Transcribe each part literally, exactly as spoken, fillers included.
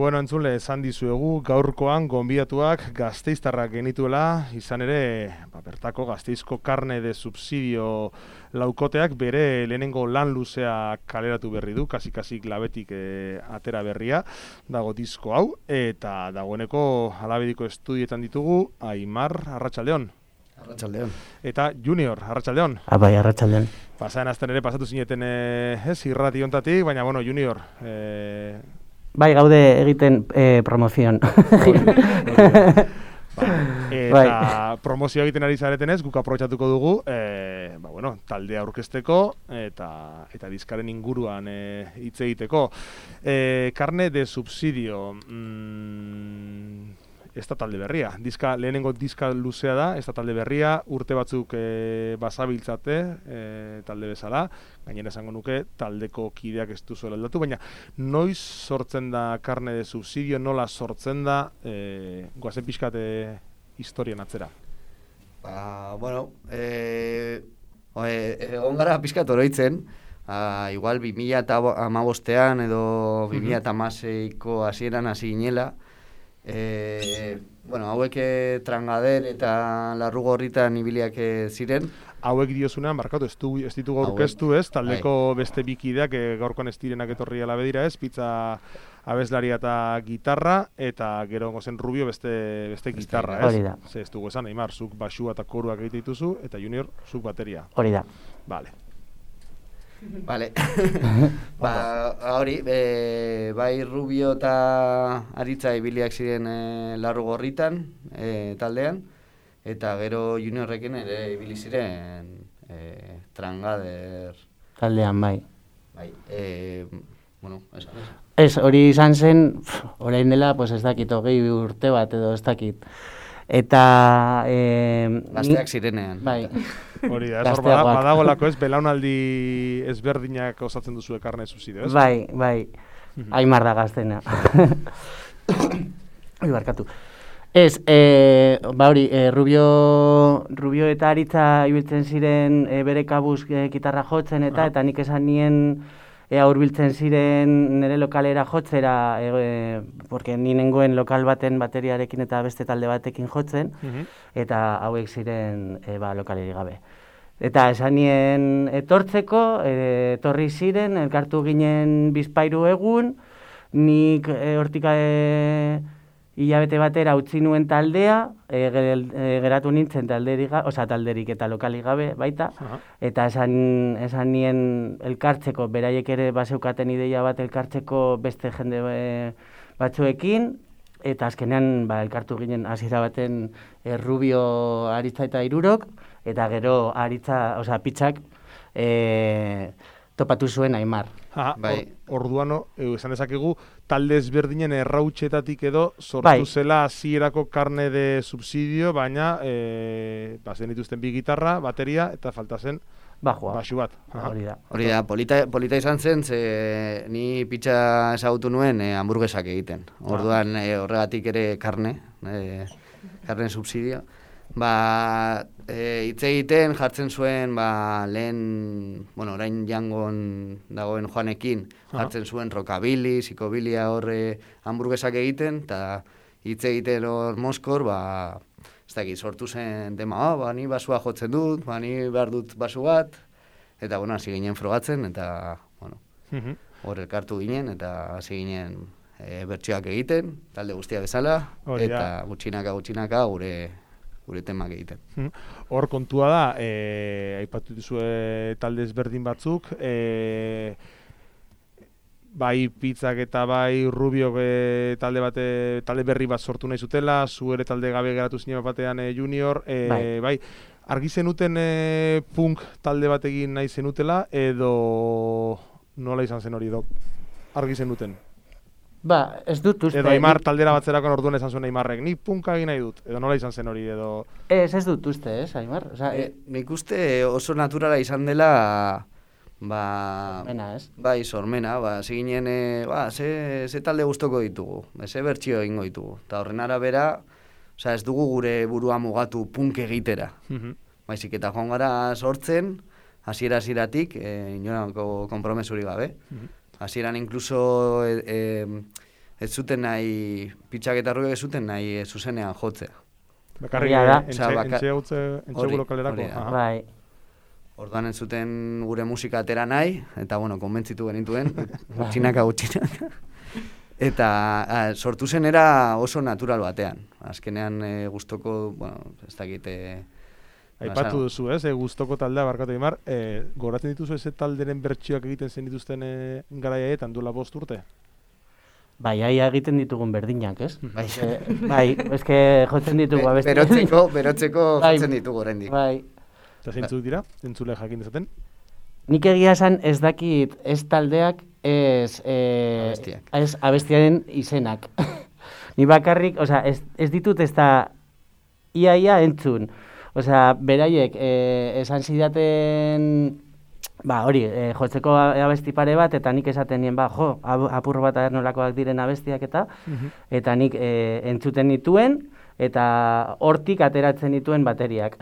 Bueno, entzule, esan dizuegu, gaurkoan gonbidatuak gasteiztarrak genituela, izan ere, ba, bertako gasteizko karne de subsidio laukoteak bere lehenengo lan luzea kaleratu berri du, kasik-kasik labetik e, atera berria, dago disko hau, eta dagoeneko alabediko estudietan ditugu, Aimar, arratsaldeon. Arratsaldeon. Eta Junior, arratsaldeon. Abai, arratsaldeon. Pasaen azten ere pasatu zineten e, ez, irrati hontatik, baina, bueno, Junior, e, bai, gaude egiten eh, promozion. Ba, eta bai. Promozio egiten ari zaretenez, guk aprobetxatuko dugu, e, ba, bueno, taldea aurkezteko eta eta diskaren inguruan hitz e, egiteko. E, karne de subsidio, mm, ez da talde berria. Diska, lehenengo diska luzea da, ez da talde berria, urte batzuk e, basabiltzate e, talde bezala, gainera esango nuke taldeko kideak ez duzuela aldatu, baina noiz sortzen da karne de subsidio, nola sortzen da, e, goazen pixkat e, historian atzera? Ba, bueno, e, egon gara pixkat oroitzen, a, igual bi mila hamabostean edo bi mila hamaseiko hasieran hasi ginela, E, bueno, hauek Trangader eta Larrugorritan ibiliak ziren. Hauek diozunean, barkatu, ez, du, ez ditugu aurkeztu ez, taldeko hai. Beste bikideak e, gaurkoan ez direnak etorri alabedira ez, pizza abeslaria eta gitarra, eta gero zen Rubio beste, beste gitarra ez. Hori da. Ze ez dugu esan, Aimar, zuk basua eta koruak egite dituzu, eta Junior, zuk bateria. Hori da. Vale. Vale. Ba, hori, e, bai Rubio eta Aritza ibiliak ziren e, Larrugorritan e, taldean, eta gero Juniorrekin ere ibili ziren e, Trangader taldean, bai. Bai, e, bueno, esan ez. Ez, hori izan zen, orain dela, pues ez dakit, hogei urte bat edo ez dakit. Eta... E, gazteak zirenean. Bai. Hori da, ez hor badagolako ez, belaunaldi ezberdinak osatzen duzu karne subsidio, ez? Bai, bai, Aimar da gaztena. Hori barkatu. Ez, e, ba hori, e, Rubio, Rubio eta Aritza ibiltzen ziren e, bere kabuz e, gitarra jotzen eta, eta nik esan nien ea hurbiltzen ziren nire lokalera jotzera, e, e, porque ni nengoen lokal baten bateriarekin eta beste talde batekin jotzen, uh-huh. eta hauek ziren e, ba, lokaleri gabe. Eta esan nien etortzeko, e, etorri ziren, elkartu ginen bizpairu egun, nik e, hortika e, hilabete batera utzi nuen taldea, e, geratu nintzen talderik, oza, talderik eta lokalik gabe baita, uh-huh. eta esan, esan nien elkartzeko, beraiek ere baseukaten ideia bat elkartzeko beste jende e, batzuekin, eta azkenean ba, elkartu ginen hasiera baten e, Rubio, Aritza eta Hirurok, eta gero Aritza, oza, Pitzak e, topatu zuen Aimar. Aha, bai. Or, orduan, esan dezakegu, talde ezberdinen errautxetatik edo sortu bai. Zela hasierako karne de subsidio, baina e, bazen dituzten bi gitarra, bateria, eta falta zen Bajua. Basu bat. Hori da. Hori da, polita, polita izan zen, ze ni pitxa ezagutu nuen e, hamburguesak egiten. Orduan e, horregatik ere karne, e, karne subsidio. Ba, e, hitz egiten jartzen zuen, ba, lehen, bueno, orain jangon dagoen Joanekin, jartzen zuen rockabilly, psikabilia horre hamburguesak egiten, eta hitz egiten hor Moskor, ba, ez dakit, sortu zen tema, oh, ba, ni basua jotzen dut, ba, ni behar dut basu bat, eta, bueno, hasi ginen frogatzen, eta, bueno, uh-huh. hor elkartu ginen, eta hasi ginen e, bertsioak egiten, talde guztia bezala, Hori eta da. gutxinaka, gutxinaka gure gure temak egiten. Hor kontua da, e, aipatu duzue talde ezberdin batzuk, e, bai Pitzak eta bai Rubiok e, talde bate, talde berri bat sortu nahi zutela, zu ere talde gabe geratu zinen batean e, Junior, e, bai. bai, argi zenuten e, punk talde bat egin nahi zenutela, edo nola izan zen hori edo argi zenuten? Ba, ez dut uste. Edo Aimar taldera batzerako orduan esan zuen Aimarrek, ni punka egin nahi dut, edo nola izan zen hori, edo... Ez, ez dut uste, ez, Aimar? Osa, e, nik uste oso naturala izan dela, ba... Sormena, ez? Bai, sormena, ba, ziginen, e, ba, ze, ze talde guztoko ditugu, ze bertxio egingo ditugu. Eta horren arabera, oza, ez dugu gure burua mugatu punk egitera. Uh-huh. Baizik eta joan gara sortzen, hasiera-hasieratik, e, inolako konpromesurik gabe. Uh-huh. Hasieran incluso e, e, ez zuten nahi, Pitxak eta Rubiok ez zuten nahi e, zuzenean jotzea. Bakarrik Egia da. entxe, Osea, baka- entxe gautze, entxe hori, lokalerako. hori da. Aha. Bai. Orduan ez zuten gure musika atera nahi, eta bueno, konbentzitu genituen, gutxinaka gutxinaka. Eta a, sortu zen era oso natural batean. Azkenean e, gustoko, bueno, ez dakit... E, Aipatu duzu, ez, e, gustoko taldea barkatu Aimar, e, goratzen dituzu ez talderen bertsioak egiten zen dituzten e, garaiaetan duela bost urte? Bai, aia egiten ditugun berdinak, ez? Bai, Eh, bai, eske jotzen ditugu abesti. berotzeko, berotzeko Bai. jotzen ditugu oraindik. Bai. Eta zeintzuk dira, entzule jakin dezaten? Nik egia esan ez dakit ez taldeak, ez, eh, Abestiak. ez abestiaren izenak. Ni bakarrik, osea, ez, ez ditut ez da ia-ia entzun. Osea, beraiek eh, esan zidaten, ba, hori, eh, jotzeko abesti pare bat, eta nik esaten nien, ba, jo, ab- apur bat nolakoak diren abestiak eta, eta nik eh, entzuten nituen, eta hortik ateratzen dituen bateriak.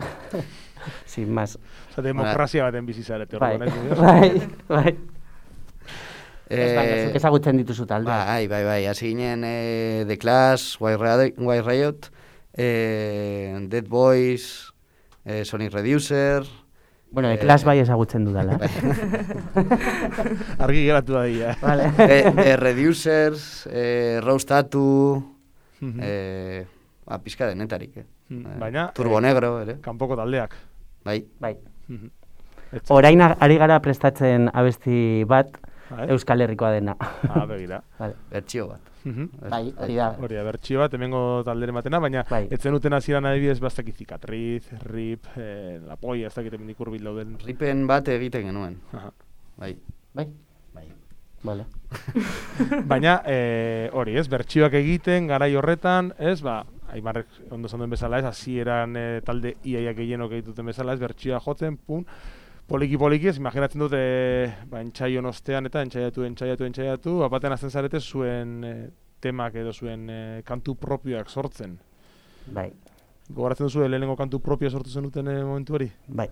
Sin más. Osa, demokrazia baten bizi zarete. Bai, orduan, ez? bai, bai. Ez baina, Eh, zuk ezagutzen dituzu talde. Bai, bai, bai, hasi ginen eh, The Clash, White Riot, White Riot eh, Dead Boys, eh, Sonic Reducer... Bueno, eh, The Clash bai ezagutzen dudala. bai. Argi geratu da dira. Vale. eh, eh, Reducers, eh, Rose Tattoo, Mhm. eh, ba, pizka denetarik, eh. Mm, Eh, baina, Turbo eh, Negro, ere. Kanpoko taldeak. Bai, Bai. Mhm. Ez- Orain ari gara prestatzen abesti bat Ah, eh? Euskal Herrikoa dena. Ah, begira. Vale. bertsio bat. Mhm. Bai, hori da. Hori da, bertxio bat, hemengo talderen batena, baina Bai. etzen uten hasieran adibidez bastak cicatriz, rip, eh, la polla, ez dakit hemendik hurbil dauden. Ripen bat egiten genuen. Aha. Bai. Bai? Bai. Vale. Baina, eh, hori, ez, bertsioak egiten, garai horretan, ez, ba, Aimarrek ondo esan duen bezala, ez, hasieran eh, talde iaiak gehienok egituten bezala, ez, bertsioa jotzen, pun, poliki-poliki, ez, imaginatzen dut, eh, ba, entxaion ostean, eta entxaiatu, entxaiatu, entxaiatu, bapaten azten zarete zuen eh, temak edo zuen eh, kantu propioak sortzen. Bai. Gogoratzen duzu, lehenengo kantu propioa sortu zenuten eh, momentu hori? Bai.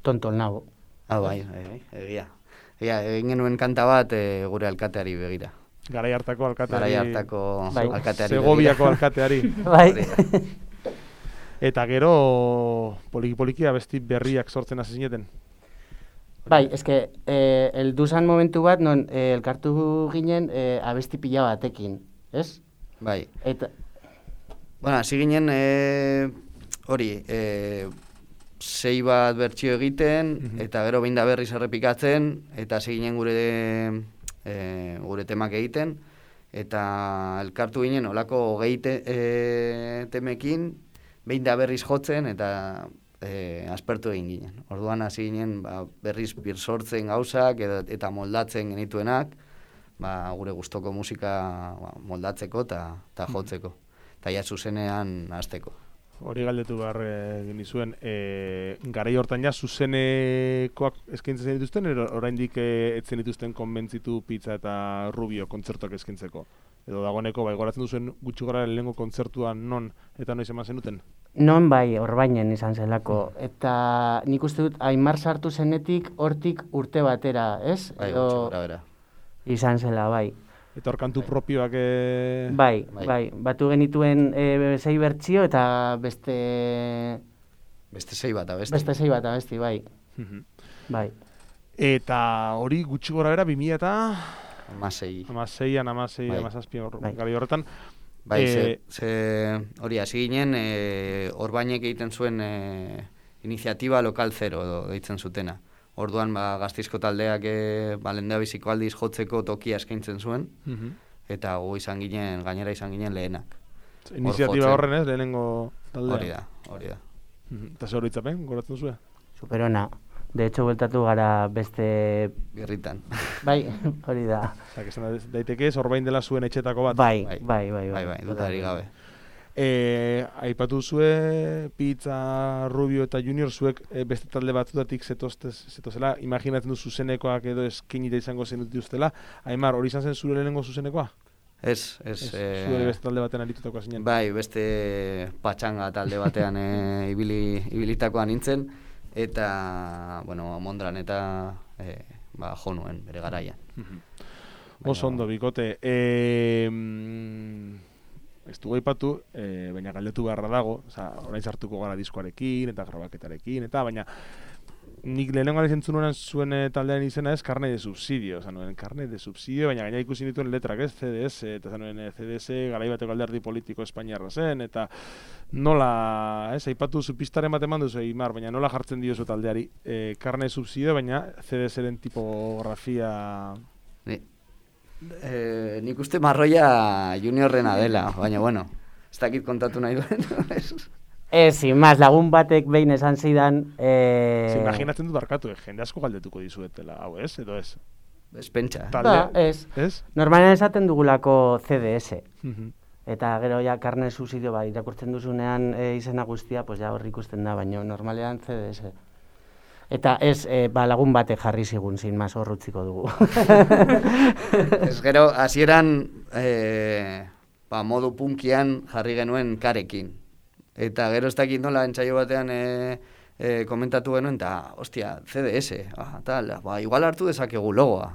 Tontol nago. Ah, bai, bai, bai, egia. Egia, egin genuen kanta bat eh, gure alkateari begira. Garai hartako alkateari. Garai hartako Bai. alkateari Segoviako begira. alkateari. Bai. Hori da. Eta gero, poliki-poliki abesti berriak sortzen hasi zineten. Bai, eske, eh, heldu zan momentu bat, non eh, elkartu ginen eh, abesti pila batekin, ez? Bai. Eta, Bueno, hasi ginen, eh, hori, eh, sei bat bertsio egiten, Mhm. eta gero behin da berriz errepikatzen, eta hasi ginen gure, eh, gure temak egiten, eta elkartu ginen olako hogei te, eh, temekin, behin da berriz jotzen, eta eh, aspertu egin ginen. Orduan hasi ginen ba, berriz bir sortzen gauzak, edo, eta moldatzen genituenak, ba, gure gustoko musika ba, moldatzeko eta jotzeko. Eta ja zuzenean hasteko. Hori galdetu behar eh, genizuen, e, garai hortan ja zuzenekoak eskaintzen zen dituzten, ero oraindik e, etzen dituzten konbentzitu Pizza eta Rubio kontzertuak eskaintzeko? Edo dagoeneko, bai, goratzen duzuen gutxi gara lehenengo kontzertuan non eta noiz eman zenuten? non bai, Orbainen izan zelako. Eta nik uste dut, Aimar sartu zenetik hortik urte batera, ez? Bai, Edo gutxi gora bera. izan zela, bai. Eta hor kantu propioak... E... Bai, Bai. bai, batu genituen e, sei bertsio eta beste Beste sei bat, abesti. beste sei bat abesti, bai. Mhm. Bai. Eta hori gutxi gora bera, bi mila eta Hamasei. hamaseian, hamasei, Bai. hamazazpi hor- Bai. garai horretan. Bai, ze, Eh, ze, hori, hasi ginen, e, Orbainek egiten zuen e, iniziatiba lokal zero edo deitzen zutena. Orduan, ba, Gasteizko taldeak e, ba, lehendabiziko aldiz jotzeko tokia eskaintzen zuen, Mhm. eta gu izan ginen, gainera izan ginen lehenak. Iniziatiba jotzen. horren ez, lehenengo taldea. Hori da, hori da. Mhm. Eta zer horitzapen, goratzen duzue? Superona. De hecho, bueltatu gara beste... Birritan. Bai, hori da. Osa, que esan da- daiteke ez, orbain dela zuen etxetako bat. Bai, Bai. bai, bai. Bai, bai, dudari gabe. E, aipatu zue, Pizza, Rubio eta Junior, zuek e, beste talde batzutatik zetoztez, zetozela, imaginatzen du zuzenekoak edo eskinita izango zenutuztela. Aimar, hori izan zen zure lehenengo zuzenekoa? Ez, ez, Ez, eh, zure beste talde baten aritutako zinen. bai, beste patxanga talde batean e, ibili, ibilitakoa nintzen, eta, bueno, Mondran eta e, ba, jo nuen bere garaian. Mhm. Oso ondo, bikote. E, ez dugu aipatu, e, baina galdetu beharra dago, oza, orain sartuko gara diskoarekin eta grabaketarekin, eta baina nik lehenengo gara zentzun nuen zuen taldearen izena ez Carne de Subsidio, oza, nuen Carne de Subsidio, baina gaina ikusi dituen letrak ez, C D S, eta nuen C D S garaibateko alderdi politiko espainiarra zen, eta nola, ez, aipatu zu pistaren bat eman duzu, Imar, baina nola jartzen diozu taldeari, e, Carne de Subsidio, baina C D S-ren tipografia... Ni, eh, nik uste marroia juniorrena dela, baina bueno, ez dakit kontatu nahi duen, Ez, sin más, lagun batek behin esan zidan... Eh... Imaginatzen dut barkatu, eh? Jende asko galdetuko dizuetela, hau ez, edo ez? Ez pentsa. Ba, ez. Ez? Normalen esaten dugulako C D S. Uh-huh. Eta gero ja Carne Subsidio ba, irakurtzen duzunean e, izena guztia, pues ja horri ikusten da, baina normalean C D S. Eta ez, e, ba, lagun batek jarri zigun, sin más, hor utziko dugu. Ez gero, hasieran e, ba, modu punkian jarri genuen karekin. Eta gero ez dakit nola entsaio batean e, e, komentatu genuen, eta, ostia, C D S, ah, tal, ba, igual hartu dezakegu logoa.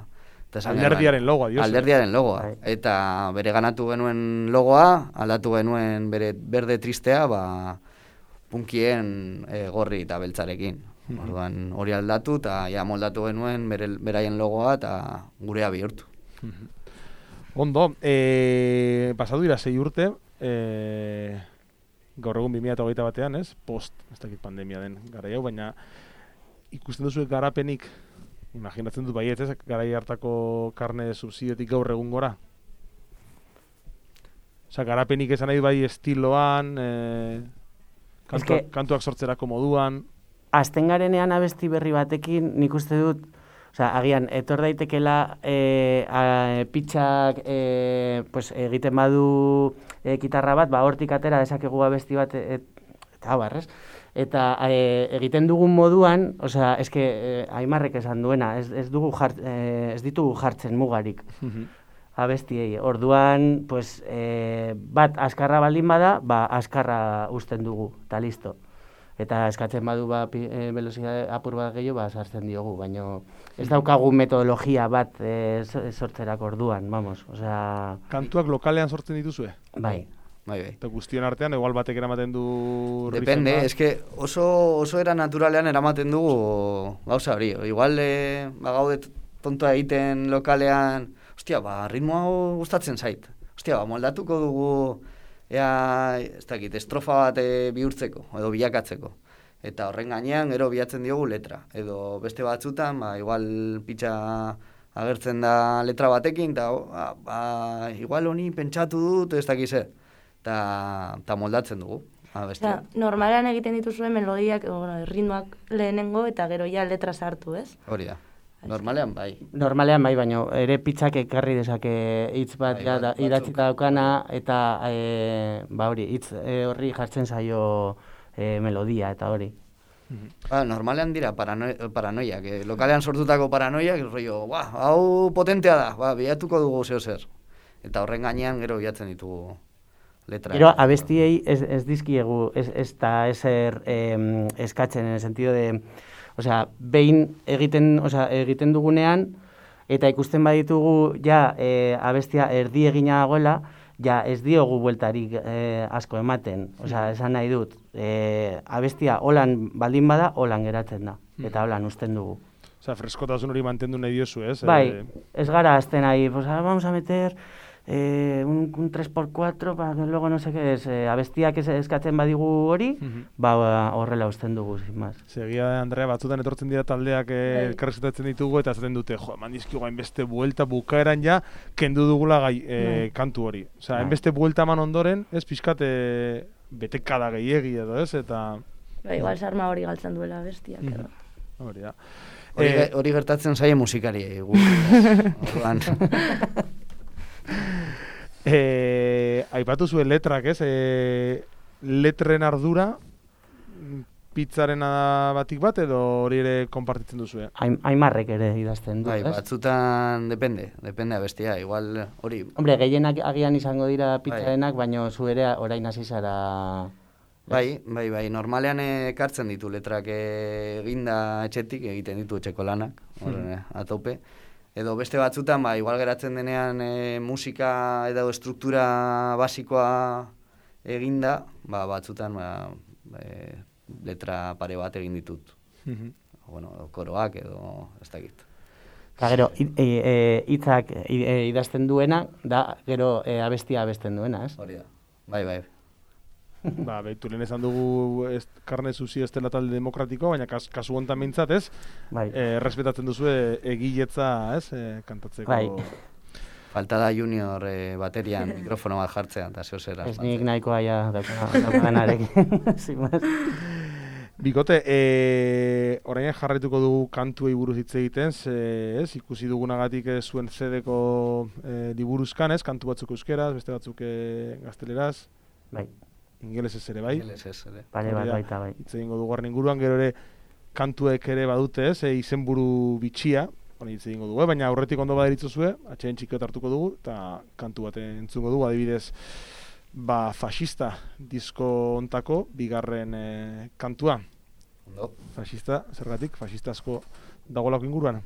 Alderdiaren logoa, diosu. Alderdiaren logoa. Eta bere ganatu genuen logoa, aldatu genuen bere berde tristea, ba, punkien e, gorri eta beltzarekin. Mm-hmm. Orduan hori aldatu, eta ja moldatu genuen bere, beraien logoa, eta gurea bihurtu. Mm-hmm. Ondo, e, pasatu dira sei urte, e... gaur egun bi mila hogeita batean, ez? Post, ez dakit pandemia den garai hau, baina ikusten duzu garapenik, imaginatzen dut baiet, ez? Garai hartako Carne Subsidiotik gaur egun gora? Osa, garapenik esan nahi bai estiloan, e, kantuak, que, kantuak sortzerako moduan... Azten garenean abesti berri batekin, nik uste dut, osea, agian, etor daitekela e, a, pitxak e, pues, egiten badu e, gitarra bat, ba, hortik atera dezakegu abesti bat, et, eta barrez. Eta e, egiten dugun moduan, osea, eske e, Aimarrek esan duena, ez, ez, dugu jart, e, ez ditugu jartzen mugarik abestiei. Orduan, pues, e, bat askarra baldin bada, ba, askarra uzten dugu, eta listo. Eta eskatzen badu ba, e, velozidade apur bat gehiago, ba, sartzen diogu, baina ez daukagu metodologia bat e, sortzerako orduan, vamos, osea... Kantuak lokalean sortzen dituzue? Bai. Bai, bai. Eta guztion artean, igual batek eramaten du... Depende, eske oso, oso era naturalean eramaten dugu gauza hori. Igual, e, ba, gaude tontoa egiten lokalean, ostia, ba, ritmo hau gustatzen zait. Ostia, ba, moldatuko dugu... Ea, ez dakit, estrofa bat e, bihurtzeko, edo bilakatzeko. Eta horren gainean, gero bilatzen diogu letra. Edo beste batzutan, ba, igual pitxa agertzen da letra batekin, eta ba, ba, igual honi pentsatu dut, ez dakiz zer. Eta moldatzen dugu. Ja, normalean egiten dituzuen melodiak, bueno, ritmoak lehenengo, eta gero ja letra sartu, ez? Hori da. Normalean bai. Normalean bai, baina ere pitzak ekarri dezake hitz bat bai, ja, idatzita daukana, eta e, ba hori, hitz e, horri jartzen zaio e, melodia eta hori. Ba, normalean dira parano, paranoiak, eh? Lokalean sortutako paranoiak, rollo, ba, hau potentea da, ba, bilatuko dugu zeo zer. Eta horren gainean gero bilatzen ditugu letra. Gero abestiei ez, ez dizkiegu, ez, ez da ezer eh, eskatzen, en el sentido de... Osea, behin egiten, osea, egiten dugunean, eta ikusten baditugu ja e, abestia erdi egina dagoela, ja ez diogu bueltarik e, asko ematen. Osea, esan nahi dut, e, abestia holan baldin bada, holan geratzen da, eta holan uzten dugu. Osea, freskotasun hori mantendu nahi diozu, ez? Bai, ez gara azten nahi, pues ahora vamos a meter... Eh, un, un tres por cuatro, para que luego no sé qué es, eh, abestiak ez eskatzen badigu hori, uh-huh. ba horrela uzten dugu, sin más. Segia, Andrea, batzutan etortzen dira taldeak elkarrizketatzen ditugu, eta zaten dute, jo, eman dizkigu hainbeste buelta bukaeran ja, kendu dugula gai, eh, kantu hori. Osea, hainbeste buelta eman ondoren, ez pixkat eh, betekada gehiegi edo, ez, eta... Ba, igual sarma hori galtzen duela abestiak, edo. Uh-huh. Hori da. Hori, eh, hori gertatzen zaie musikari, gu. Orduan... Eh, aipatu zuen letrak, ez? Eh, letren ardura pizzaren batik bat edo hori ere konpartitzen duzu, eh? Aimarrek ere idazten du, bai, ez? Batzutan depende, depende abestia, igual hori... Hombre, gehienak agian izango dira pizzarenak, bai. Baina zu ere orain hasi zara... Bai, bai, bai, normalean ekartzen ditu letrak eginda etxetik, egiten ditu etxeko lanak, hmm. a tope. Edo beste batzutan, ba, igual geratzen denean e, musika edo struktura basikoa eginda, ba, batzutan ba, e, letra pare bat egin ditut. Mhm. Bueno, koroak edo ez dakit. Eta gero, hitzak e, e, e, idazten duena, da gero e, abestia abesten duena, ez? Hori da, bai, bai. Ba, behitu lehen esan dugu ez, Karne Zuzio ez dela talde demokratiko, baina kas, kasu hontan mintzat, ez? Bai. E, respetatzen duzu egiletza, ez? E, kantatzeko... Bai. Falta da junior e, baterian mikrofono bat jartzea, eta zeo zer Ez nik nahikoa ja daukanarekin. Bikote, e, orain jarraituko dugu kantuei buruz hitz egiten, ze, ez? Ikusi dugunagatik e, zuen zedeko e, liburuzkan, ez? Kantu batzuk euskeraz, beste batzuk e, gazteleraz. Bai. Ingelesez ere bai. Ingelesez ere. Pare bat baita bai. Hitz egingo dugu harren inguruan, gero ere kantuek ere badute, ez? E, izenburu bitxia, hori hitz egingo dugu, eh? Baina aurretik ondo baderitzozue, atxeen txikiot hartuko dugu, eta kantu bat entzungo dugu, adibidez, ba, Faxista disko ontako bigarren e, kantua. Ondo. Faxista, zergatik, faxistazko dagoelako inguruan.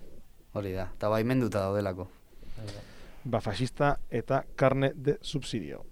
Hori da, eta baimenduta daudelako. Ba, Faxista eta Carne de Subsidio.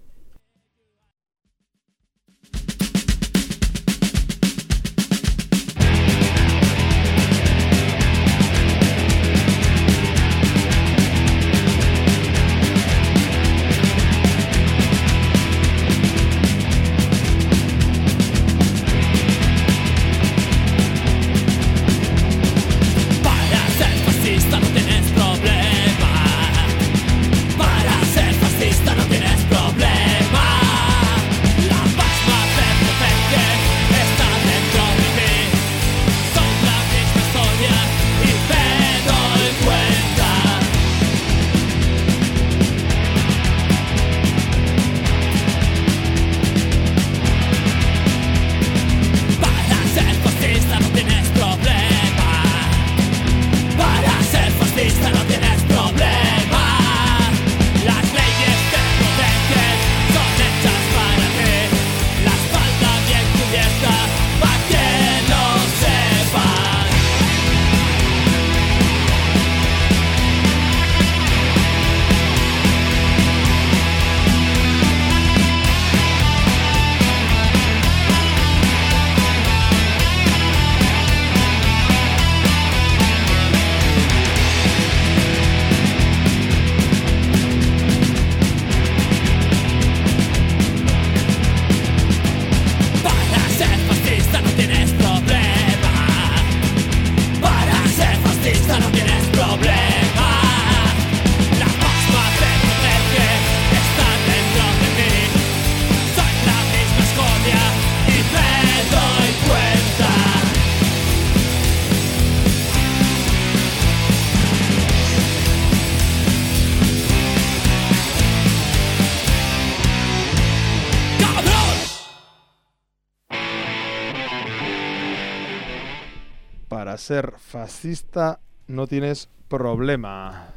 Ser fascista no tienes problema.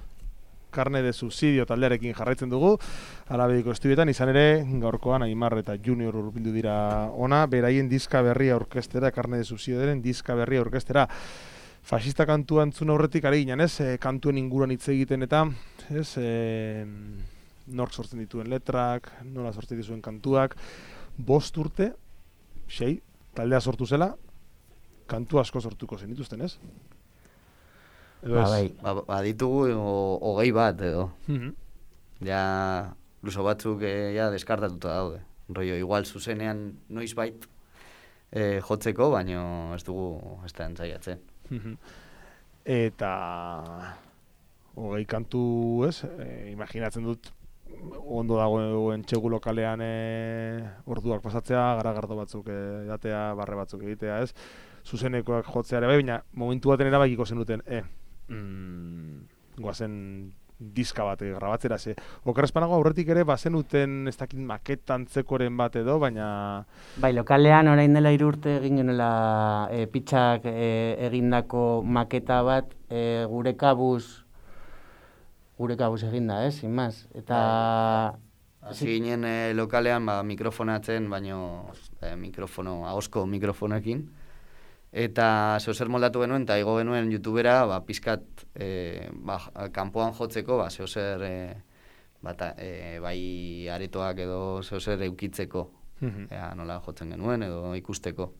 Carne de Subsidio taldearekin jarraitzen dugu. Alabediko estudietan izan ere gaurkoan Aimar eta Junior hurbildu dira ona, beraien diska berria orkestera, Carne de Subsidioren diska berria orkestera. Fascista kantua entzun aurretik ari ginen, ez? E, kantuen inguruan hitz egiten eta, ez? E, nork sortzen dituen letrak, nola sortzen dituen kantuak. Bost urte, sei, taldea sortu zela, kantu asko sortuko zen dituzten, ez? Edo ba, ez? bai, ba, ba ditugu hogei bat edo. Mm-hmm. Ja, luso batzuk e, ja deskartatuta daude. Rollo, igual zuzenean noiz bait e, jotzeko, baino ez dugu ez da entzaiatzen. Mm-hmm. Eta hogei kantu, ez? E, imaginatzen dut ondo dagoen txegu lokalean e, orduak pasatzea, garagardo batzuk e, datea, barre batzuk egitea, ez? Zuzenekoak jotzeare bai, baina momentu baten erabakiko zenuten, e, mm, goazen diska bat grabatzera, ze okerrezpanago aurretik ere bazenuten ez dakit maketantzekoren bat edo, baina... Bai, lokalean orain dela hiru urte egin genela e, pitxak e, egindako maketa bat e, gure kabuz gure kabuz eginda, ez, sin más. Eta... Hasi ginen e, lokalean ba, mikrofonatzen, baino e, mikrofono, ahozko mikrofonekin. eta zeozer moldatu genuen, eta igo genuen YouTubera, ba, pizkat, e, ba, kanpoan jotzeko, ba, zeozer, e, bata, e, bai aretoak edo zeozer eukitzeko, Ea, nola jotzen genuen edo ikusteko.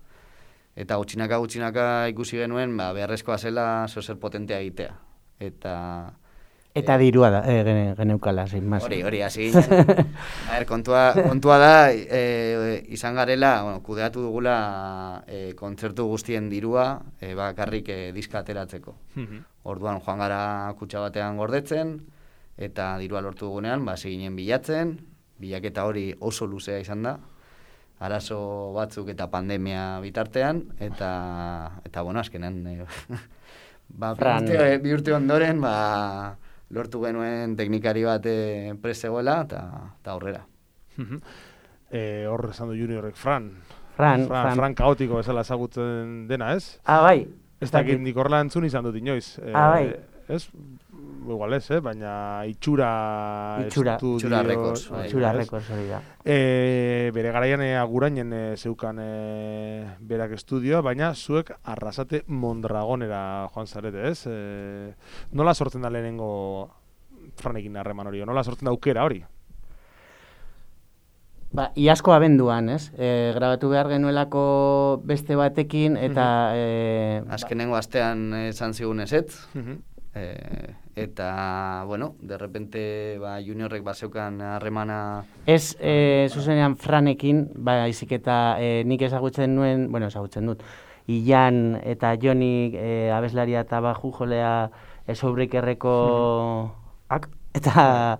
Eta gutxinaka gutxinaka ikusi genuen, ba, beharrezkoa zela zeozer potentea egitea. Eta... Eta dirua da, e, geneukala, zein maz. Hori, hori, hasi ginen. A ver, kontua, kontua da, e, izan garela, bueno, kudeatu dugula e, kontzertu guztien dirua, e, bakarrik e, diska ateratzeko. Orduan joan gara kutxa batean gordetzen, eta dirua lortu dugunean, ba, ginen bilatzen, bilaketa hori oso luzea izan da, arazo batzuk eta pandemia bitartean, eta, eta bueno, azkenan, e, ba, bi urte, bi urte ondoren, ba, lortu genuen teknikari bat e, prezegoela, eta aurrera. e, hor esan du Juniorrek, Fran. Fran, Fran, Fran. Fran kaotiko bezala ezagutzen dena, ez? Ah, bai. Ez dakit nik horrela entzun izan dut inoiz. Ah, bai. Ez? Igual ez, eh? Baina itxura... Itxura. Estudio, Itxura rekords. bai, Itxura ez? rekords hori da. E, bere garaian e, agurainen e, zeukan e, berak estudioa, baina zuek Arrasate Mondragonera joan zarete, ez? E, nola sortzen da lehenengo Franekin harreman hori, nola sortzen da aukera hori? Ba, iazko abenduan, ez? E, grabatu behar genuelako beste batekin, eta... E, Azkenengo astean esan zigun ezetz, Mhm. e, eta, bueno, de repente ba, Juniorrek bazeukan harremana... Ez, e, zuzenean Franekin, ba, izik eta e, nik ezagutzen nuen, bueno, ezagutzen dut, Ilan eta Joni e, abeslaria eta baju jolea Esoubrikerreko ak, eta...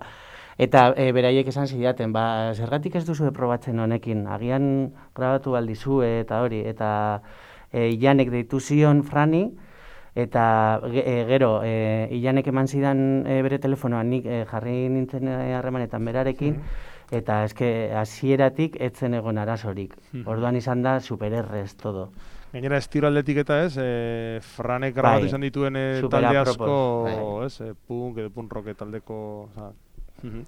Eta e, beraiek esan zidaten, ba, zergatik ez duzu probatzen honekin, agian grabatu aldizue eta hori, eta e, Ilanek deitu zion Frani, eta ge, e, gero, e, Ilanek eman zidan e, bere telefonoan, nik e, jarri nintzen harremanetan berarekin, eta eske hasieratik etzen egon arazorik. Orduan izan da supererrez todo. Gainera, estiro aldetik eta ez, e, Franek grabatu Bai, izan dituen e, super talde apropos, asko, bai. ez, e, punk edo punk rock taldeko... Oza, mhm.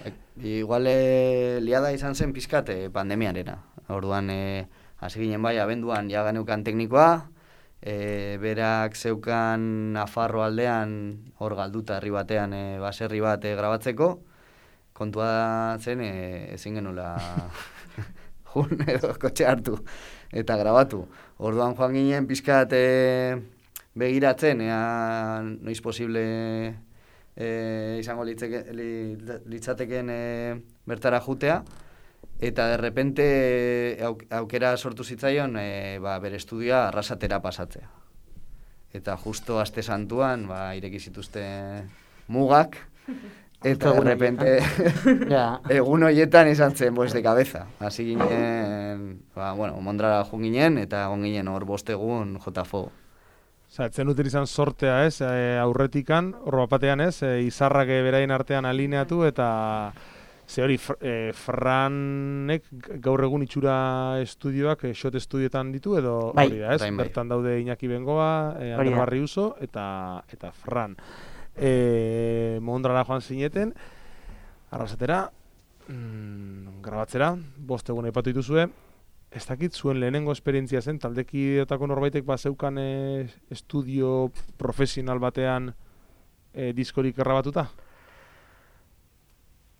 E, igual e, liada izan zen pizkat e, pandemiarena. Orduan, e, hasi ginen bai, abenduan ja geneukan teknikoa, e, berak zeukan Nafarro aldean, hor galduta herri batean, e, baserri bat e, grabatzeko, kontua zen e, ezin genula jun edo kotxe hartu eta grabatu. Orduan joan ginen pizkat e, begiratzen, ea noiz posible e, izango litzeke, li, litzateken e, bertara jutea, eta de repente auk, aukera sortu zitzaion e, ba, bere estudioa Arrasatera pasatzea. Eta justo aste santuan ba, ireki zituzten mugak, eta de repente Ja. egun horietan izan zen pues, de cabeza. Hasi ginen, ba, bueno, Mondrara joan ginen, eta egon ginen hor bost egun jotafo. Osa, etzen duten izan sortea ez, e, aurretikan, hor batean ez, e, izarrak e, beraien artean alineatu, eta ze hori, fr, e, Franek gaur egun itxura estudioak, e, shot estudioetan ditu, edo Bai. hori da ez, Bai, bai. bertan daude Iñaki Bengoa, e, Hori Ander da. Barriuso, eta, eta Fran. E, Mondrara joan zineten, Arrasatera, mm, grabatzera, bost egun aipatu dituzue, ez dakit zuen lehenengo esperientzia zen, taldekideotako norbaitek bazeukan e, estudio profesional batean e, diskorik grabatuta?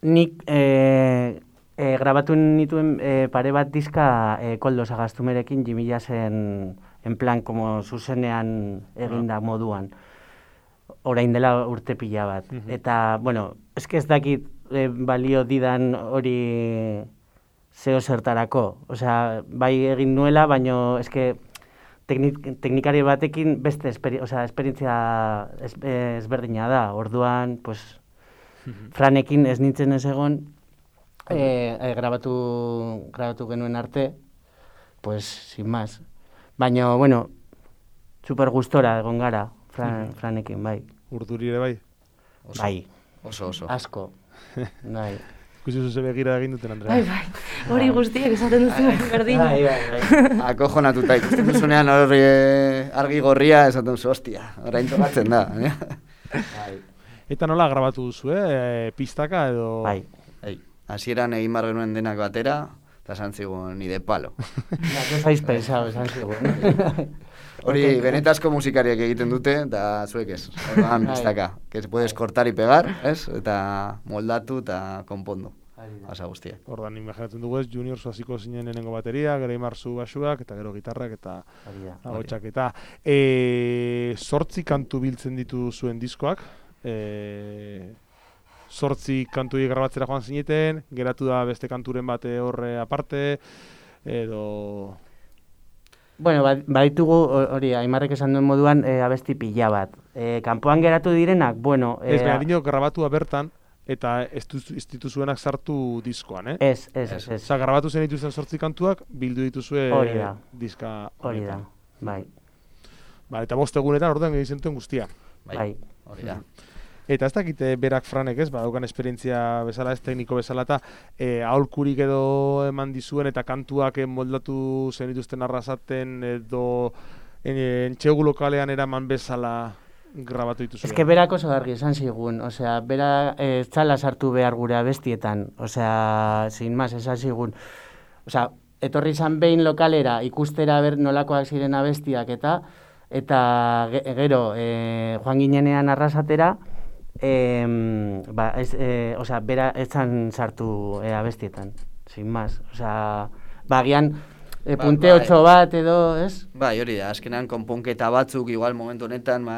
Nik e, e, grabatu nituen e, pare bat diska e, Koldo Sagastumerekin Jimmy Jassen en plan como zuzenean eginda moduan. Orain dela urte pila bat. Mhm. Eta, bueno, eske ez dakit e, balio didan hori zeo zertarako. Osea, bai egin nuela, baino eske teknik, teknikari batekin beste esperi, osea, esperientzia ez, ezberdina da. Orduan, pues, Franekin ez nintzen ez egon, e, e, grabatu, grabatu genuen arte, pues, sin más. Baina, bueno, super gustora egon gara, Fran, Franekin, bai. Urduri ere bai? Oso, Bai, oso, oso. asko, bai. Ikusi zuze begira egin duten, Andrea. Bai, bai, hori guztiak esaten duzu berdina. Bai, bai, bai. Akojonatuta ikusten duzunean hor e, argi gorria esaten zu, hostia, orain tokatzen da. Eh? Bai. Eta nola grabatu duzu, eh? E, pistaka edo... Bai. Ei, hasieran egin bar genuen denak batera, eta esan zigun, ni de palo. Ja, que faiz pensado, esan zigun. Hori, okay. Benetazko musikariak egiten dute, eta zuek ez. Orduan, biztaka, que se puedes cortar y pegar, ez? Eta moldatu eta konpondo. Asa guztiak. Ordan imaginatzen dugu ez, Junior hasiko zinen lehenengo bateria, gero Imarzu basuak, eta gero gitarrak, eta agotxak, eta e, zortzi kantu biltzen ditu zuen diskoak, e, zortzi kantu grabatzera joan zineten, geratu da beste kanturen bate horre aparte, edo... Bueno, baditugu hori, Aimarrek esan duen moduan, e, abesti pila bat. E, kanpoan geratu direnak, bueno... E, ez, behar dino, grabatua bertan, eta ez dituzuenak sartu diskoan, eh? Ez, ez, ez. Osa, grabatu zen dituzten sortzi kantuak, bildu dituzue diska hori da, bai. Ba, eta bost egunetan orduan egin zentuen guztia. Bai, hori da. Eta ez dakite berak Franek ez, badaukan esperientzia bezala, ez tekniko bezala, eta e, aholkurik edo eman dizuen, eta kantuak moldatu zen dituzten arrasaten, edo entxegu lokalean eraman bezala grabatu dituzu. Ez que berak oso argi esan zigun, osea, bera ez eh, txala sartu behar gure abestietan, osea, sin más, esan zigun. Osea, etorri izan behin lokalera ikustera ber nolakoak ziren abestiak eta eta gero eh, joan ginenean arrasatera, eh, ba, ez, eh, osea, bera ez zan sartu eh, abestietan, sin más. Osea, bagian, E, punte ba, otxo bat edo, ez? Bai, hori da, azkenan konponketa batzuk, igual momentu honetan, ma,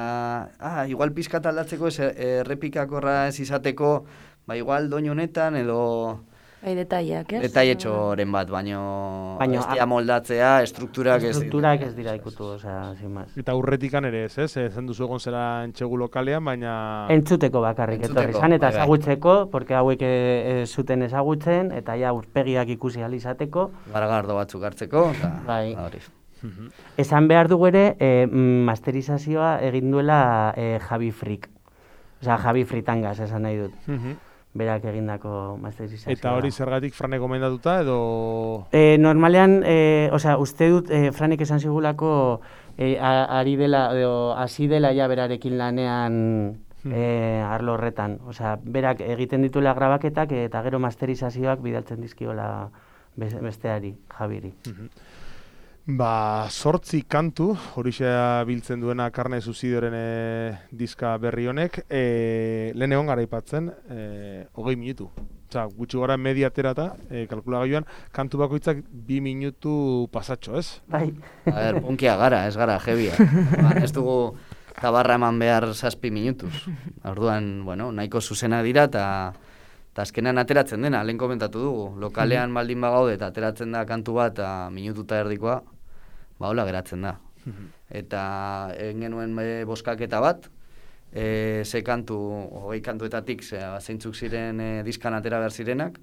ah, igual pizkat aldatzeko, ez errepikakorra ez izateko, ba, igual doinu honetan edo... Bai, detaileak, ez? Detailetxoren bat, baino, baino bestia moldatzea, estrukturak ez... Estrukturak ez dira ikutu, osea, sin más. Eta urretikan ere ez, ez? Zen duzu egon zera entxegu lokalean, baina... Entzuteko bakarrik, etorri zan, eta ezagutzeko, porque hauek e, zuten ezagutzen, eta ja urpegiak ikusi alizateko. Garagardo batzuk hartzeko, eta bai. Hori. Esan behar dugu ere, e, masterizazioa egin duela e, Javi Frik. Osea, Javi Fritangaz esan nahi dut. Berak egindako masterizazioa. Eta hori zergatik Franek gomendatuta edo... E, normalean, e, osea, uste dut e, Franek esan zigulako e, ari dela, edo hasi dela ja berarekin lanean hmm. e, arlo horretan. Osea, berak egiten dituela grabaketak eta gero masterizazioak bidaltzen dizkiola besteari, Javiri. Hmm. Ba, sortzi kantu, horixea biltzen duena Karne Suizidioren e, diska berri honek, e, lehen egon gara ipatzen, e, hogei minutu. Osa, gutxi gara media terata, e, kalkulagailuan, kantu bakoitzak bi minutu pasatxo, ez? Bai. A ber, punkia gara, ez gara, jebia. Ba, ez dugu tabarra eman behar zazpi minutuz. Orduan, bueno, nahiko zuzena dira, eta eta azkenean ateratzen dena, lehen komentatu dugu. Lokalean baldin bagaude eta ateratzen da kantu bat, eta minututa erdikoa, ba hola geratzen da. Eta egin genuen e, boskaketa bat, e, ze kantu, hogei kantuetatik ze, zeintzuk ziren e, diskan atera behar zirenak,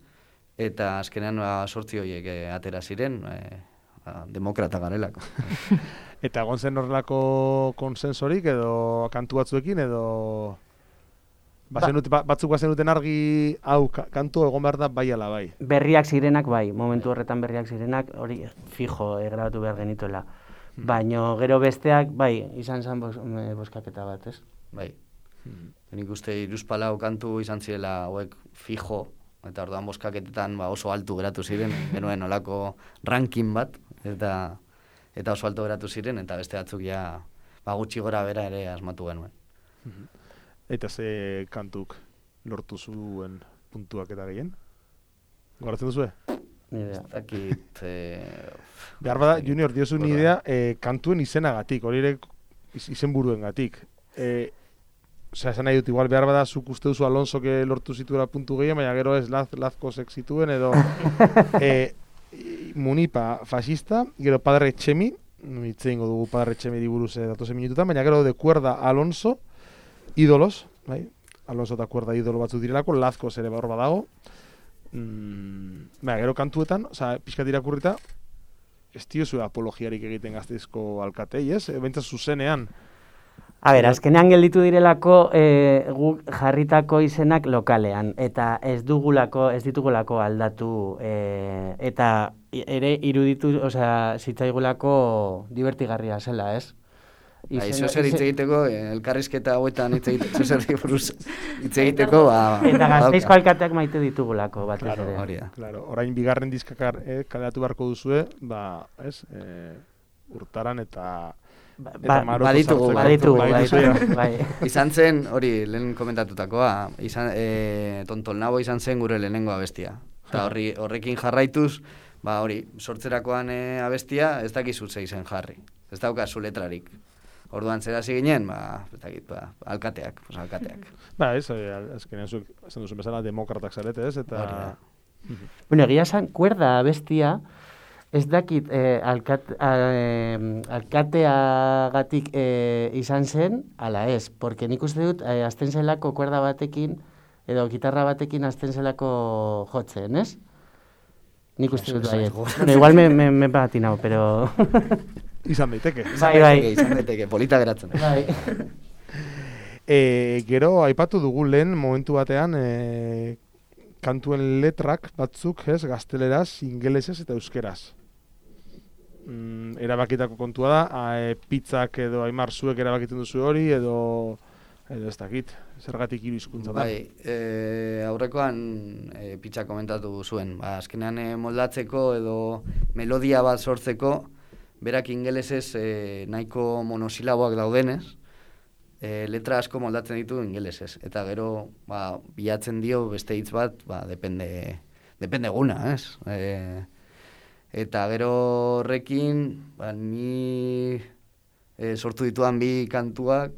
eta azkenean ba, sortzi horiek e, atera ziren, e, ba, demokrata garelako. Eta egon zen horrelako konsensorik edo kantu batzuekin edo... Bazenut, ba, batzuk bazenuten argi hau kantu egon behar da bai ala bai. Berriak zirenak bai, momentu horretan berriak zirenak, hori fijo e, grabatu behar genituela. Hmm. Baina gero besteak bai, izan zen bos, e, boskaketa bat, ez? Bai. Hmm. Nik uste iruzpalau kantu izan zirela hauek fijo, eta orduan boskaketetan ba, oso altu geratu ziren, genuen olako ranking bat, eta, eta oso alto geratu ziren, eta beste batzuk ja ba, gutxi gora bera ere asmatu genuen. Hmm. Eta ze kantuk lortu zuen puntuak eta gehien? Goratzen duzue? Nidea. Dakit... E... Behar bada, Junior, diozu nidea e, kantuen izenagatik, hori ere izen buruen gatik. E, Osea, esan nahi dut, igual behar bada zuk uste duzu Alonso que lortu zituela puntu gehien, baina gero ez laz, lazkozek zituen, edo e, Munipa fascista, gero Padre Txemi, hitzein dugu Padre Txemi diburuz datozen minututan, baina gero de Cuerda Alonso, Ídolos, bai? Alonso eta Cuerda idolo batzuk direlako, Lazkoz ere hor badago. Mm, baina, gero kantuetan, oza, pixkat irakurrita, ez diozu apologiarik egiten Gasteizko alkatei, ez? E, Bentsaz zuzenean. A ber, azkenean gelditu direlako e, guk jarritako izenak lokalean, eta ez dugulako, ez ditugulako aldatu, e, eta ere iruditu, osea, zitzaigulako divertigarria zela, ez? Bai, zozer hitz egiteko, elkarrizketa hauetan hitz egiteko, zozerri buruz hitz egiteko, ba... Eta Gasteizko alkateak maite ditugulako, bat ez Claro, ere. hori da. Claro, orain bigarren diskakar eh, kaleratu beharko duzue, ba, ez, eh, urtaran eta... Ba, eta Maroko baditugu, sartzeko. baditugu, Badituzu, baditugu, ja. bai. Izan zen, hori, lehen komentatutakoa, izan, e, Tontolnabo izan zen gure lehenengo abestia. Eta horri, horrekin jarraituz, ba hori, sortzerakoan e, abestia, ez dakizu ze izen jarri. Ez daukazu letrarik. Orduan zera ginen, ba, ez dakit, ba, alkateak, pues, alkateak. Ba, ez, eh, azkenean zuek, esan duzu bezala, demokratak zarete, ez, eta... Hori da. Bueno, egia esan, kuerda abestia, ez dakit eh, alkat, eh, alkateagatik eh, izan zen, ala ez, porque nik uste dut, eh, azten zelako kuerda batekin, edo gitarra batekin azten zelako jotzen, ez? Nik uste dut baiet. Bueno, igual me, me, me patinau, pero... Izan daiteke. Bai, bai. Izan daiteke, polita geratzen. Bai. E, gero, aipatu dugu lehen, momentu batean, e, kantuen letrak batzuk, ez, gazteleraz, ingelesez eta euskeraz. Mm, erabakitako kontua da, a, e, pizzak edo aimar zuek erabakiten duzu hori, edo, edo ez dakit, zergatik hiru hizkuntza da. Bai, e, aurrekoan e, pitza komentatu zuen, ba, azkenean e, moldatzeko edo melodia bat sortzeko, berak ingelesez e, nahiko monosilaboak daudenez, e, letra asko moldatzen ditu ingelesez. Eta gero, ba, bilatzen dio beste hitz bat, ba, depende, depende guna, ez? E, eta gero horrekin, ba, ni e, sortu dituan bi kantuak,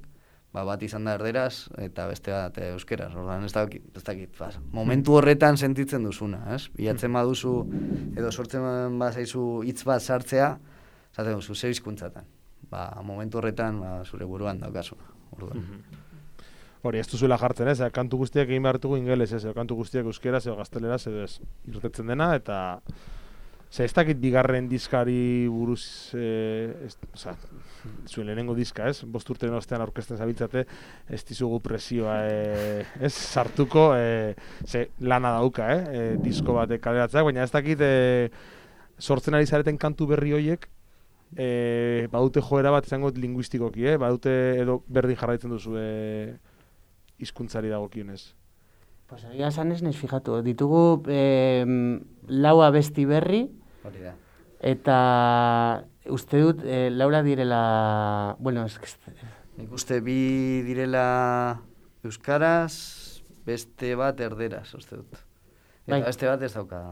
ba, bat izan da erderaz, eta beste bat e, euskeraz. Orduan, ez dakit, ez dakit, ba, momentu horretan sentitzen duzuna, ez? Bilatzen baduzu, edo sortzen bazaizu hitz bat sartzea, zaten duzu, ze hizkuntzatan. Ba, momentu horretan, ba, zure buruan daukazuna. Orduan. Hori, ez duzuela jartzen, ez? Kantu guztiak egin behar dugu ingeles, ez? Edo kantu guztiak euskeraz, edo gazteleraz, edo ez. Irtetzen dena, eta... Ze, ez dakit bigarren diskari buruz, eh, ez, oza, zuen lehenengo diska, ez? Bost urteren ostean aurkezten zabiltzate, ez dizugu presioa, eh, ez? Sartuko, eh, ze, lana dauka, eh? eh disko batek kaleratzeak, baina ez dakit, eh, sortzen ari zareten kantu berri horiek, e, badute joera bat izango linguistikoki, eh? Badute edo berdin jarraitzen duzu e, hizkuntzari dagokionez. Pues egia esan ez naiz fijatu, ditugu eh, lau abesti berri, Hori da. eta uste dut eh, laura direla, bueno, ez que... Nik uste bi direla euskaraz, beste bat erderaz, uste dut. Eta Bai. beste bat ez dauka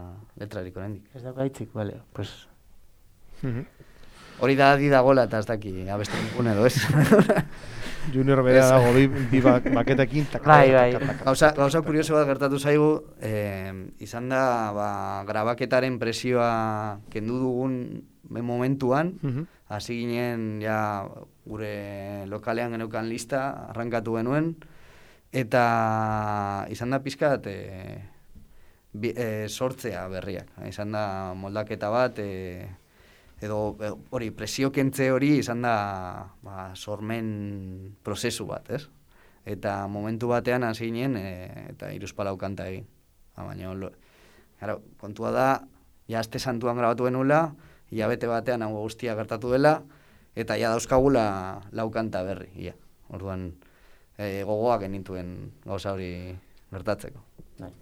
letrarik oraindik. Ez dauka hitzik, bale, pues... Hori da di dagoela eta ez daki abesten dukun edo, ez? Junior bera Ez. dago bi, bi ba- baketekin, taka, Bai, taka, bai. taka, taka. Gauza, gauza kurioso bat gertatu zaigu, eh, izan da ba, grabaketaren presioa kendu dugun momentuan, Mhm. hasi ginen ja gure lokalean geneukan lista, arrankatu genuen, eta izan da pizkat e, bi, e, sortzea berriak. Izan da moldaketa bat, e, edo e, hori presio kentze hori izan da ba, sormen prozesu bat, ez? Eta momentu batean hasi ginen e, eta hiruzpalau kanta egin. Ha, baina, lo, claro, kontua da, ja aste santuan grabatu genuela, hilabete batean hau guztia gertatu dela, eta ja dauzkagula lau kanta berri, ia. Orduan, e, gogoak genituen gauza hori gertatzeko.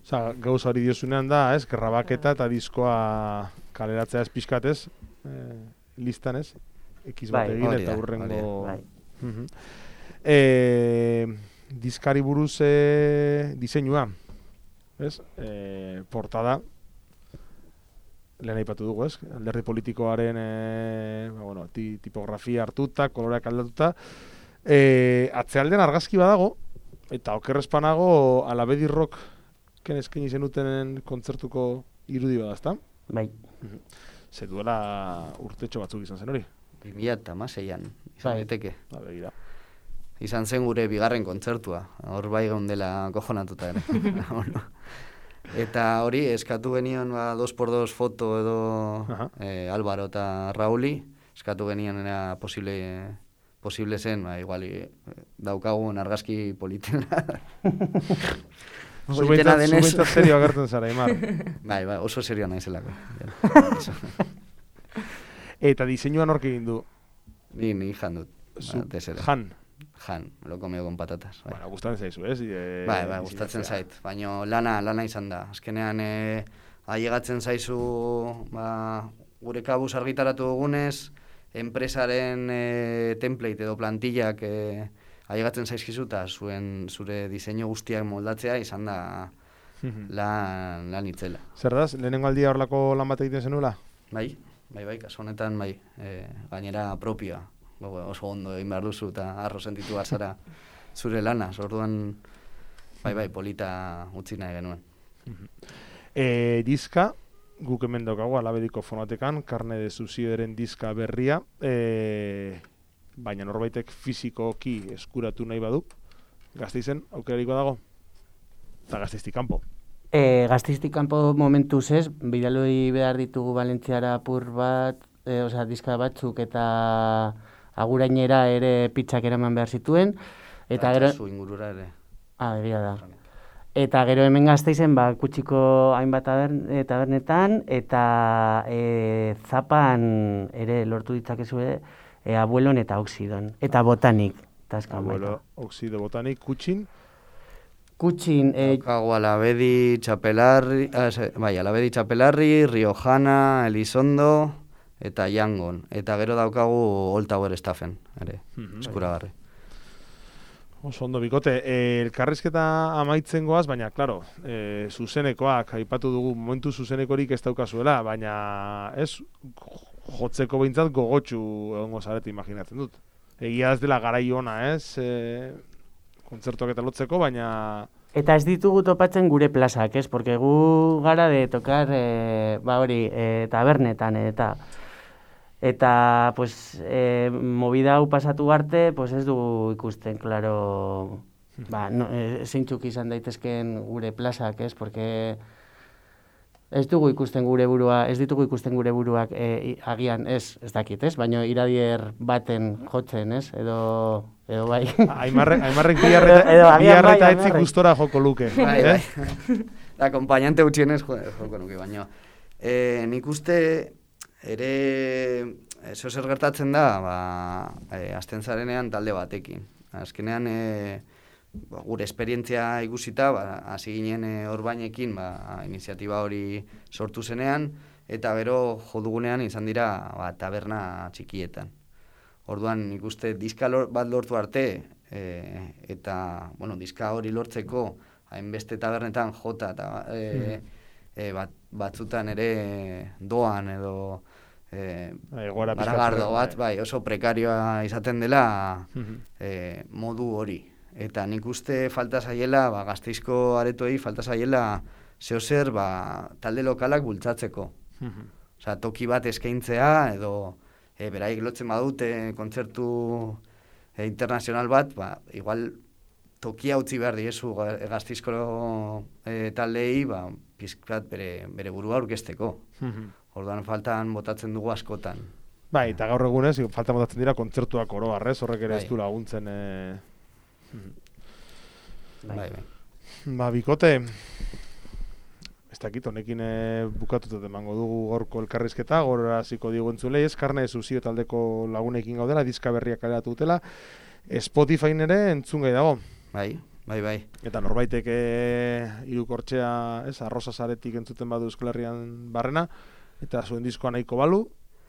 Osa, gauza hori diozunean da, ez? Grabaketa eta diskoa kaleratzea ez pixkatez, eh, listan ez? Ekiz bat Bai, egin hori eta da, hurrengo... Bai. Mhm. Eh, diskari buruz eh, diseinua, ez? Eh, portada, lehen aipatu dugu, ez? Alderdi politikoaren eh, ba, bueno, ti, tipografia hartuta, koloreak aldatuta. Eh, atzealdean argazki badago, eta okerrezpanago Alabedi Rock ken eskaini zenutenen kontzertuko irudi bada, ezta? Bai. Ze duela urtetxo batzuk izan zen hori. bi mila hamaseian izan Bai. daiteke. Ba, begira. Izan zen gure bigarren kontzertua. Hor bai geundela kojonatuta ere. Bueno. Eta hori, eskatu genion ba, dos por dos foto edo Aha. eh, Álvaro eta Rauli. Eskatu genion era posible, posible zen, ba, igual eh, daukagun argazki politena. Zu Politena behintzat- zu denez. behintzat serio agertzen zara, Aimar. Bai, bai, oso serio naizelako. Eta diseinua nork egin du? Ni, ni jan dut. Zu, batez ere. jan. Jan, me lo comeo con patatas. Bai, Bueno, gustatzen zaizu, ez? E, bai, bai gustatzen zait. Baina lana, lana izan da. Azkenean, e, ailegatzen zaizu, ba, gure kabuz argitaratu dugunez, enpresaren e, template edo plantillak e, ailegatzen zaizkizu eta zuen zure diseinu guztiak moldatzea izan da lan, lan itzela. Zer da, lehenengo aldia horlako lan bat egiten zenula? Bai, bai, bai, kasu honetan, bai, e, gainera propioa. Oso ondo egin behar duzu eta arro sentitu bazara zure lanaz, orduan, bai, bai, polita utzi nahi genuen. E, diska, guk hemen daukagu Alabediko fonotekan, Karne de Subsidioren diska berria, e, baina norbaitek fizikoki eskuratu nahi badu, Gasteizen aukerariko dago? Eta Gasteiztik kanpo. E, Gasteiztik kanpo momentuz ez, bidaloi behar ditugu Valentziara apur bat, e, osea, diska batzuk eta agurainera ere pizzak eraman behar zituen. Eta gero... Zu ingurura ere. Ah, egia da. Eta gero hemen Gasteizen, ba, kutsiko hainbat tabern, e, tabernetan, eta e, zapan ere lortu ditzakezue e, abuelon eta oxidon. Eta botanik. Abuelo, oxido, botanik, kutxin. Kutxin... E, Daukagu Alabedi, Txapelarri, ah, bai, Alabedi, Txapelarri, Riojana, Elizondo... eta Yangon, eta gero daukagu Old Tower Staffen, ere, mm-hmm. eskuragarri. Oso ondo bikote, e, elkarrizketa amaitzen goaz, baina, klaro, e, zuzenekoak, aipatu dugu momentu zuzenekorik ez daukazuela, baina ez, jotzeko behintzat gogotxu egongo zarete imaginatzen dut. Egia ez dela garai ona, ez, e, kontzertuak eta lotzeko, baina... Eta ez ditugu topatzen gure plazak, ez? Porque gu gara de tokar, e, ba hori, e, tabernetan, eta... Eta, pues, e, movida hau pasatu arte, pues ez dugu ikusten, klaro, ba, no, e, zeintzuk izan daitezken gure plazak, ez? Porque ez dugu ikusten gure burua, ez ditugu ikusten gure buruak e, agian, ez, ez dakit, ez? Baina iradier baten jotzen, ez? Edo, edo bai. Aimarrek, aimarrek biarre eta etzik gustora joko luke. Bai, bai. Da, acompañante gutxienez joko nuke, baina. E, nik uste... ere, eso zer gertatzen da, ba, e, azten zarenean talde batekin. Azkenean, e, ba, gure esperientzia ikusita, ba, hasi ginen e, Orbainekin, ba, iniziatiba hori sortu zenean, eta gero jodugunean izan dira ba, taberna txikietan. Orduan, ikuste diska lor, bat lortu arte, e, eta, bueno, diska hori lortzeko, hainbeste tabernetan jota, eta e, e, bat, batzutan ere doan edo e, garagardo bat, bai, oso prekarioa izaten dela e, modu hori. Eta nik uste falta zaiela, ba, Gasteizko aretoei falta zaiela zeozer ba, talde lokalak bultzatzeko. Osea, toki bat eskaintzea edo e, beraik lotzen badute kontzertu e, internazional bat, ba, igual tokia utzi behar diezu Gasteizko e, taldeei, ba, pizkat bere, bere burua aurkezteko. Orduan faltan botatzen dugu askotan. Bai, eta gaur egunez, faltan botatzen dira kontzertuak oro harrez, horrek ere ez du laguntzen. E... Bai, bai. Ba, bikote, ez dakit, honekin e, bukatutat emango dugu gorko elkarrizketa, gora hasiko digu entzulei, ez Karne de Subsidio taldeko lagunekin gaudela, diska berriak kaleratu dutela, Spotifyn ere entzun gai dago. Bai, bai, bai. Eta norbaitek e, irukortxea, ez, arroza zaretik entzuten badu Euskal Herrian barrena, eta zuen diskoa nahiko balu,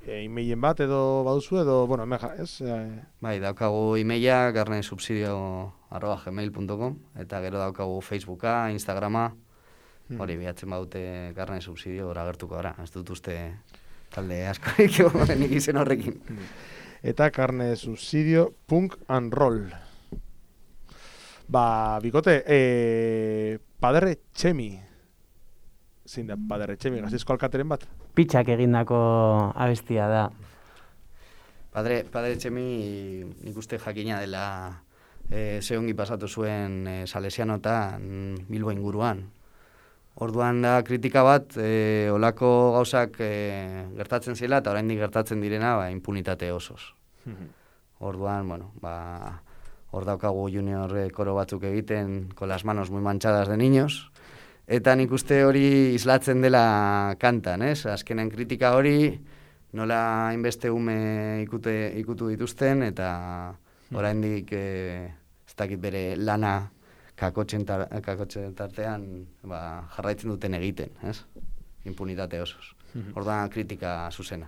e, e-mailen bat edo baduzu edo, bueno, hemen ja, ez? E... Bai, daukagu e-maila karnesubsidio arroba gmail punto com, eta gero daukagu Facebooka, Instagrama, hmm. hori bihatzen badute Karne Subsidio hori agertuko gara, ez dut uste talde askorik nik izen horrekin. Eta Karne Subsidio punk and roll. Ba, bikote, e, Padre Txemi. Zein da, Padre Txemi, Gasteizko alkateren bat? Pitzak egindako abestia da. Padre, Padre Txemi nik uste jakina dela e, ze ongi pasatu zuen e, Salesianotan Bilbo inguruan. Orduan da kritika bat, e, olako gauzak e, gertatzen zela eta oraindik gertatzen direna ba, impunitate osoz. Orduan, bueno, ba... Hor daukagu junior koro batzuk egiten con las manos muy manchadas de niños. Eta nik uste hori islatzen dela kantan, ez? Azkenen kritika hori nola hainbeste ume ikute, ikutu dituzten, eta oraindik e, ez dakit bere lana kakotzen, tar, kakotzen tartean ba, jarraitzen duten egiten, ez? Impunitate osoz. Orduan kritika zuzena.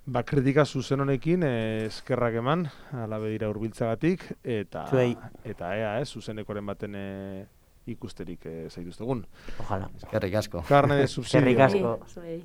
Ba, kritika zuzen honekin eh, eskerrak eman, ala bedira hurbiltzagatik, eta Zuei. eta ea, ez, zuzenekoren baten eh, ikusterik eh, zaituztegun. Ojalá. Eskerrik asko. Carne de subsidio. Eskerrik asko. Zuei.